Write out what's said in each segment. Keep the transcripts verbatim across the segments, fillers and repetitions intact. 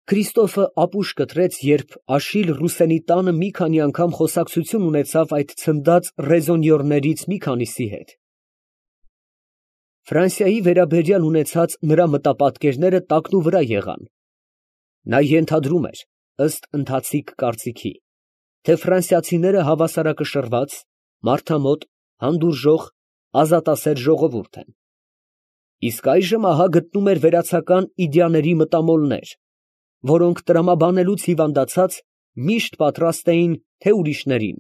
Քրիստոֆը ապուշ կտրեց, երբ Աշիլ Ռուսենի տանը մի քանի անգամ խոսակցություն ունեցավ այդ ցնդած ռեզոնյորներից մի քանիսի հետ։ Ֆրանսիայի վերաբերյալ ունեցած նրա մտապատկերները տակնուվրա եղան. նա ենթադրում էր, ըստ ընթացիկ կարծիքի, թե ֆրանսիացիները հավասարակշռված, մարդամոտ, հանդուրժող, ազատասեր ժողովուրդ են։ Իսկ այժմ ահա գտնում էր վերացական իդեաների մտամոլներ, որոնք տրամաբանելուց հիվանդացած միշտ պատրաստ էին թե ուրիշներին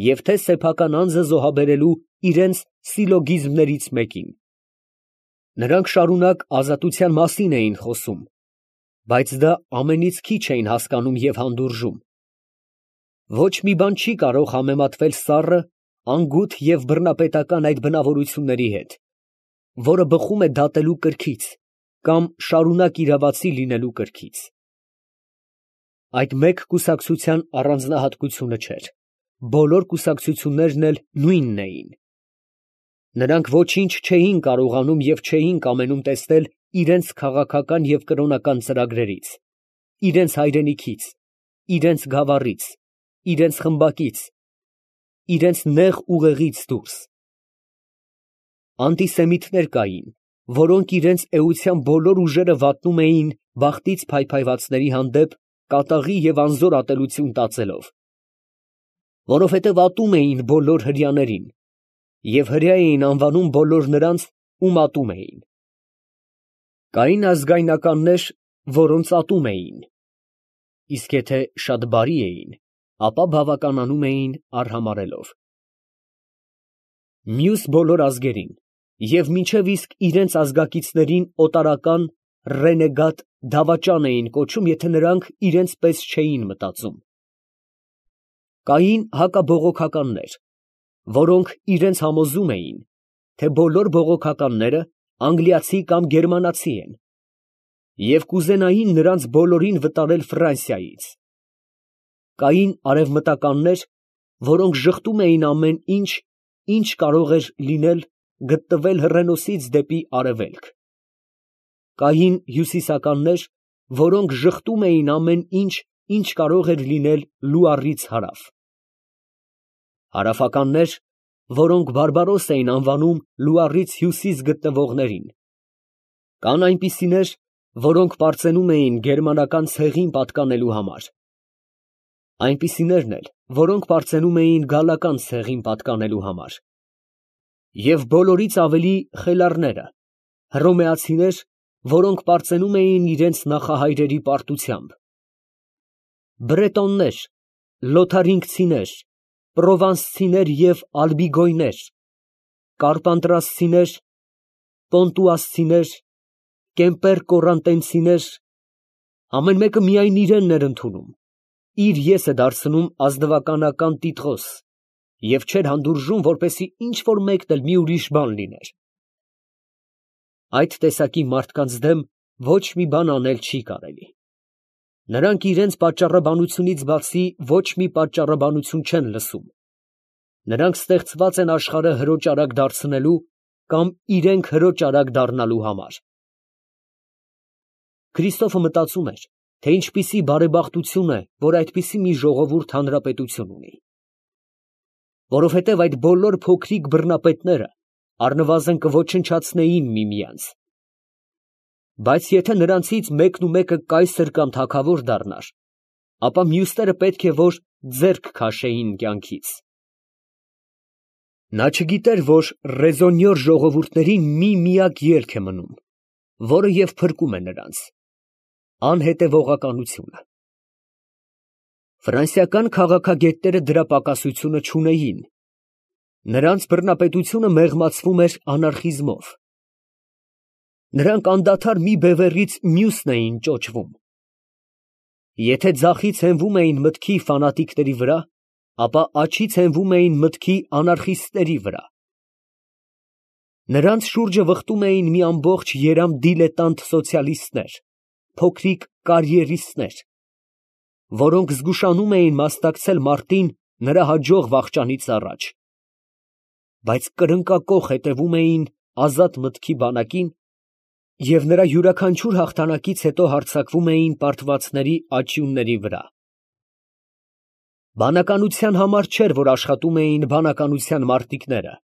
և թե սեփական անձը զոհաբերելու իրենց սիլոգիզմներից մեկին։ Նրանք շարունակ ազատության մասին էին խոսում, բայց դա ամենից քիչ էին հասկանում և հանդուրժում։ Ոչ մի բան չի կարող համեմատվել սառը, անգութ և բռնապետական այդ բնավորությունների հետ, որը բխում է դատելու կրքից կամ շարունակ իրավացի լինելու կրքից։ Այդ մեկ կուսակցության առանձնահատկությունը չէր, բոլոր կուսակցություններն էլ նույնն էին։ Նրանք ոչինչ չէին կարողանում և չէին կամենում տեսնել իրենց քաղաքական և կրոնական ծրագրերից, իրենց հայրենիքից, իրենց գավառից, իրենց խմբակից, իրենց նեղ ուղեղից դուրս։ Անտիսեմիտներ կային, որոնք իրենց էության բոլոր ուժերը վատնում էին բախտից փայփայվածների հանդեպ կատաղի և անզոր ատելություն տածելով, որովհետև ատում էին բոլոր հրեաներին և հրեա էին անվանում բոլոր նրանց, ում ատում էին։ Կային ազգայնականներ, որոնց ատում էին, իսկ եթե շատ բարի էին, ապա բավականանում էին արհամարհելով։ Մյուս բոլոր ազգերին և մինչև իսկ իրենց ազգակիցներին օտարական, ռենեգատ, դավաճան էին կոչում, եթե նրանք իրենց պես չէին մտածում։ Կային հակաբողոքականներ, որոնք իրենց համոզում էին, թե բոլոր բողոքականները անգլիացի կամ գերմանացի են և կուզենային նրանց բոլորին վտարել Ֆրանսիայից։ Կային արևմտականներ, որոնք ժխտում էին ամեն ինչ, ինչ կարող էր լինել գտնվել հռենոսից դեպի արևելք։ Կային հյուսիսականներ, որոնք ժխտում էին ամեն ինչ, ինչ կարող էր լինել լուարից հարավ։ Հարավականներ, որոնք բարբարոս էին անվանում լուարից հյուսիս գտնվողներին։ Կան այնպիսիներ, որոնք պարծենում էին գերմանական ցեղին պատկանելու համար, այնպիսիներն էլ, որոնք պարծենում էին գալական ցեղին պատկանելու համար, և բոլորից ավելի խելառները, հռոմեացիներ, որոնք պարծենում էին իրենց նախահայրերի պարտությամբ, բրետոններ, լոթարինգցիներ, պրովանսցիներ և ալբիգոյներ, կարպանտրասցիներ, պոնտուասցիներ, կեմպեր կորանտենցիներ, ամեն մեկը միայն իրենն էր ընդունում, իր եսը դարձնում ազնվականական տիտղոս և չէր հանդուրժում, որպեսզի ինչ֊որ մեկն էլ մի ուրիշ բան լիներ։ Այդ տեսակի մարդկանց դեմ ոչ մի բան անել չի կարելի։ Նրանք իրենց պատճառաբանությունից բացի ոչ մի պատճառաբանություն չեն լսում։ Նրանք ստեղծված են աշխարհը հրոճարակ դարձնելու կամ իրենք հրոճարակ դառնալու համար։ Քրիստոֆը մտածում էր, թե ինչպիսի բարեբախտություն է, որ այդպիսի մի ժողովուրդ հանրապետություն ունի։ Որովհետև այդ բոլոր փոքրիկ բռնապետները առնվազն կոչնչացնեին միմյանց։ Բայց եթե նրանցից մեկն ու մեկը կայսր կամ թագավոր դառնար, ապա մյուսները պետք է որ ձեռք քաշեին կյանքից։ Նա չգիտեր, որ ռեզոնյոր ժողովուրդներին մի միակ ելք է մնում, որը և փրկում է նրանց՝ անհետևողականությունը։ Ֆրանսիական քաղաքագետները դրա պակասությունը չունեին։ Նրանց բռնապետությունը մեղմացվում էր անարխիզմով։ Նրանք անդադար մի բևեռից մյուսն էին ճոճվում։ Եթե ձախից հենվում էին մտքի ֆանատիկների վրա, ապա աջից հենվում էին մտքի անարխիստների վրա։ Նրանց շուրջը վխտում էին մի ամբողջ երամ դիլետանտ սոցիալիստներ, փոքրիկ կարիերիստներ, որոնք զգուշանում էին մասնակցել մարտին նրա հաջող վախճանից առաջ, բայց կրնկակոխ հետևում էին ազատ մտքի բանակին և նրա յուրաքանչյուր հաղթանակից հետո հարձակվում էին պարտվածների աճյունների վրա։ Բանականության համար չէր, որ աշխատում էին բանականության մարտիկները։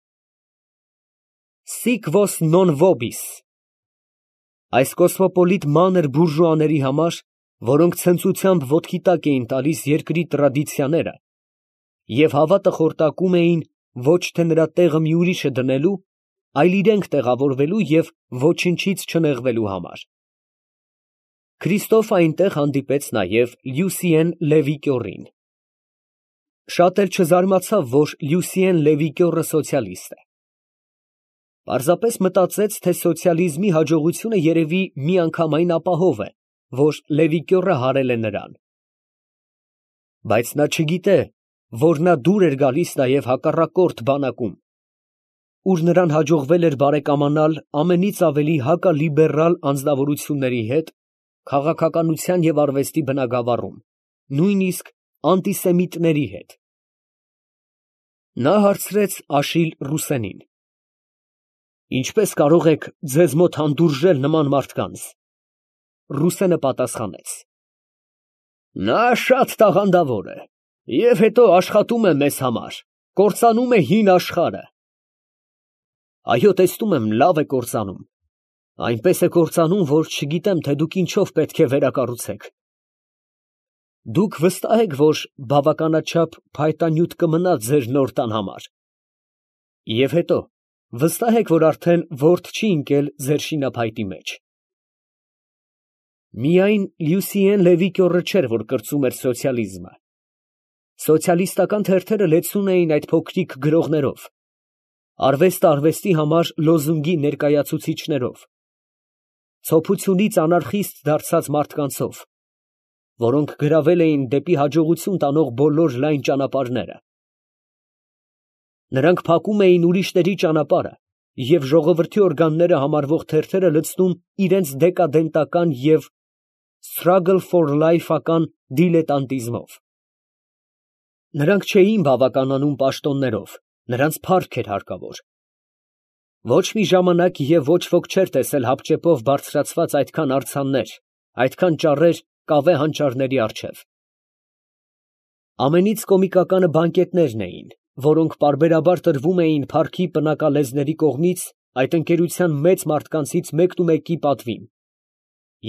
Sic vos non vobis, այս կոսմոպոլիտ մանր բուրժուաների համար, որոնք ցնծությամբ ոտքի տակ էին տալիս երկրի տրադիցիաները և հավատը խորտակում էին ոչ թե նրա տեղը մի ուրիշը դնելու, այլ իրենք տեղավորվելու և ոչնչից չնեղվելու համար։ Քրիստոֆը այնտեղ հանդիպեց նաև Լյուսիեն Լևիկյոռին։ Շատ էլ չզարմացավ, որ Լյուսիեն Լևիկյոռը սոցիալիստ է։ Պարզապես մտածեց, թե սոցիալիզմի հաջողությունը երևի միանգամայն ապահով է, որ Լևիկյոռը հարել է նրան։ Բայց նա չգիտե, որ նա դուր էր գալիս նաև հակառակորդ բանակում, ուր նրան հաջողվել էր բարեկամանալ ամենից ավելի հակալիբերալ անձնավորությունների հետ քաղաքականության և արվեստի բնագավառում, նույնիսկ անտիսեմիտների հետ։ Նա հարցրեց Աշիլ Ռուսենին. «Ինչպե՞ս կարող եք ձեզ մոտ հանդուրժել նման մարդկանց»։ Ռուսենը պատասխանեց. «Նա շատ տաղանդավոր է և հետո աշխատում է մեզ համար, կործանում է հին աշխարհը»։ Այո, տեսնում եմ, լավ է կործանում, այնպես է կործանում, որ չգիտեմ, թե դուք ինչով պետք է վերակառուցեք։ Դուք վստահ եք, որ բավականաչափ փայտանյութ կմնա ձեր նոր տան համար։ Եվ հետո, վստահ եք, որ արդեն ворդ չի ընկել ձեր շինափայտի մեջ։ Միայն Լյուսիեն Լևիկյոռը չէր, որ կրծում էր սոցիալիզմը։ Սոցիալիստական թերթերը լեցուն էին այդ փոքրիկ գրողներով, արվեստը արվեստի համար լոզունգի ներկայացուցիչներով, ցոփությունից անարխիստ դարձած մարդկանցով, որոնք գրավել էին դեպի հաջողություն տանող բոլոր լայն ճանապարհները։ Նրանք փակում էին ուրիշների ճանապարհը և ժողովրդի օրգանները համարվող թերթերը լցնում իրենց դեկադենտական և struggle for life-ական դիլետանտիզմով։ Նրանք չէին բավականանում պաշտոններով, նրանց փառք էր հարկավոր։ Ոչ մի ժամանակ և ոչ ոք չէր տեսել հապճեպով բարձրացված այդքան արձաններ, այդքան ճառեր կավե հանճարների առջև։ Ամենից կոմիկականը բանկետներն էին, որոնք պարբերաբար տրվում էին փառքի պնակալեզների կողմից այդ ընկերության մեծ մարդկանցից մեկնումեկի պատվին,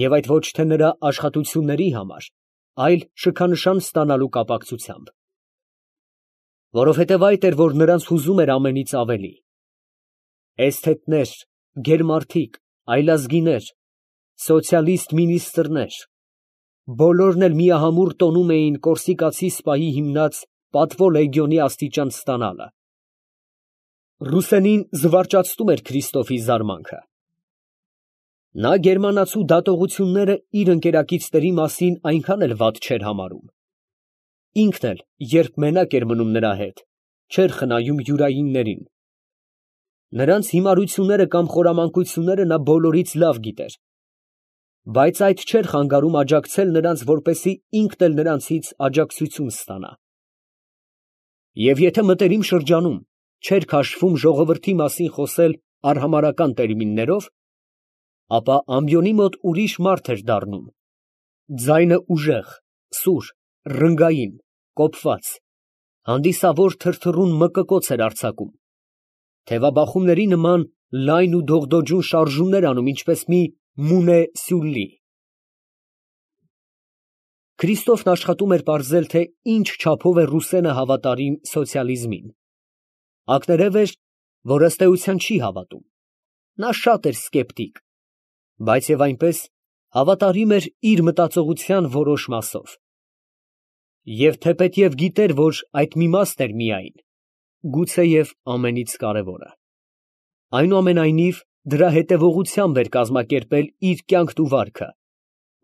և այդ ոչ թե նրա աշխատությունների համար, այլ շքանշան ստանալու կապակցությամբ։ Որովհետև այդ էր, որ նրանց հուզում էր ամենից ավելի։ Էսթետներ, գերմարդիկ, այլազգիներ, սոցիալիստ մինիստրներ, բոլորն էլ միահամուռ տոնում էին կորսիկացի սպայի հիմնած պատվո լեգիոնի աստիճան ստանալը։ Ռուսենին զվարճացնում էր Քրիստոֆի զարմանքը։ Նա գերմանացու դատողությունները իր ընկերակիցների մասին այնքան էլ վատ չէր համարում։ Ինքն էլ, երբ մենակ էր մնում նրա հետ, չէր խնայում յուրայիններին։ Նրանց հիմարությունները կամ խորամանկությունները նա բոլորից լավ գիտեր, բայց այդ չէր խանգարում աջակցել նրանց, որպեսզի ինքն էլ նրանցից աջակցություն ստանա։ Եվ եթե մտերիմ շրջանում չէր քաշվում ժողովրդի մասին խոսել արհամարհական տերմիններով, ապա ամբիոնի մոտ ուրիշ մարդ էր դառնում, ձայնը ուժեղ, սուր, ռնգային, կոփված, հանդիսավոր թրթռուն մկկոց էր արձակում, թևաբախումների նման լայն ու դողդոջուն շարժումներ անում, ինչպես մի Մունե Սյուլլի։ Քրիստոֆն աշխատում էր պարզել, թե ինչ չափով է Ռուսենը հավատարիմ սոցիալիզմին։ Ակներև էր, որ ըստ էության չի հավատում։ Նա շատ էր սկեպտիկ, բայց և այնպես հավատարիմ էր իր մտածողության որոշ մասով։ Եվ թեպետև գիտեր, որ այդ մի մասն էր միայն, գուցեև ամենից կարևորը։ Այնուամենայնիվ, դրա հետևողությամբ էր կազմակերպել իր կյանքն ու վարքը,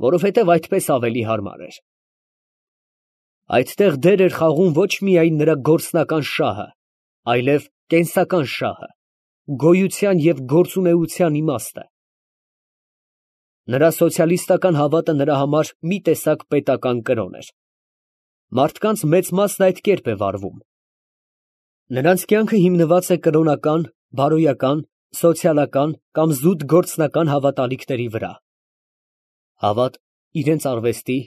որովհետև այդպես ավելի հարմար էր։ Այդտեղ դեր էր խաղում ոչ միայն նրա գործնական շահը, այլև կենսական շահը, գոյության և գործունեության իմաստը։ Նրա սոցիալիստական հավատը նրա համար մի տեսակ պետական կրոն էր։ Մարդկանց մեծ մասն այդ կերպ է վարվում։ Նրանց կյանքը հիմնված է կրոնական, բարոյական, Սոցիալական կամ զուտ գործնական հավատալիքների վրա։ Հավատ իրենց արվեստի,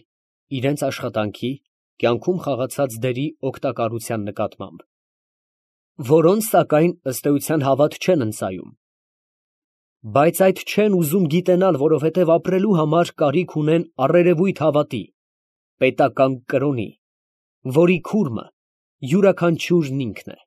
իրենց աշխատանքի, կյանքում խաղացած դերի օգտակարության նկատմամբ, որոնց, սակայն, ըստ էության հավատ չեն ընծայում, բայց այդ չեն ուզում գիտենալ, որովհետև ապրելու համար կարիք ունեն առերևույթ հավատի, պետական կրոնի, որի քուրմը յուրաքանչյուրն ինքն է։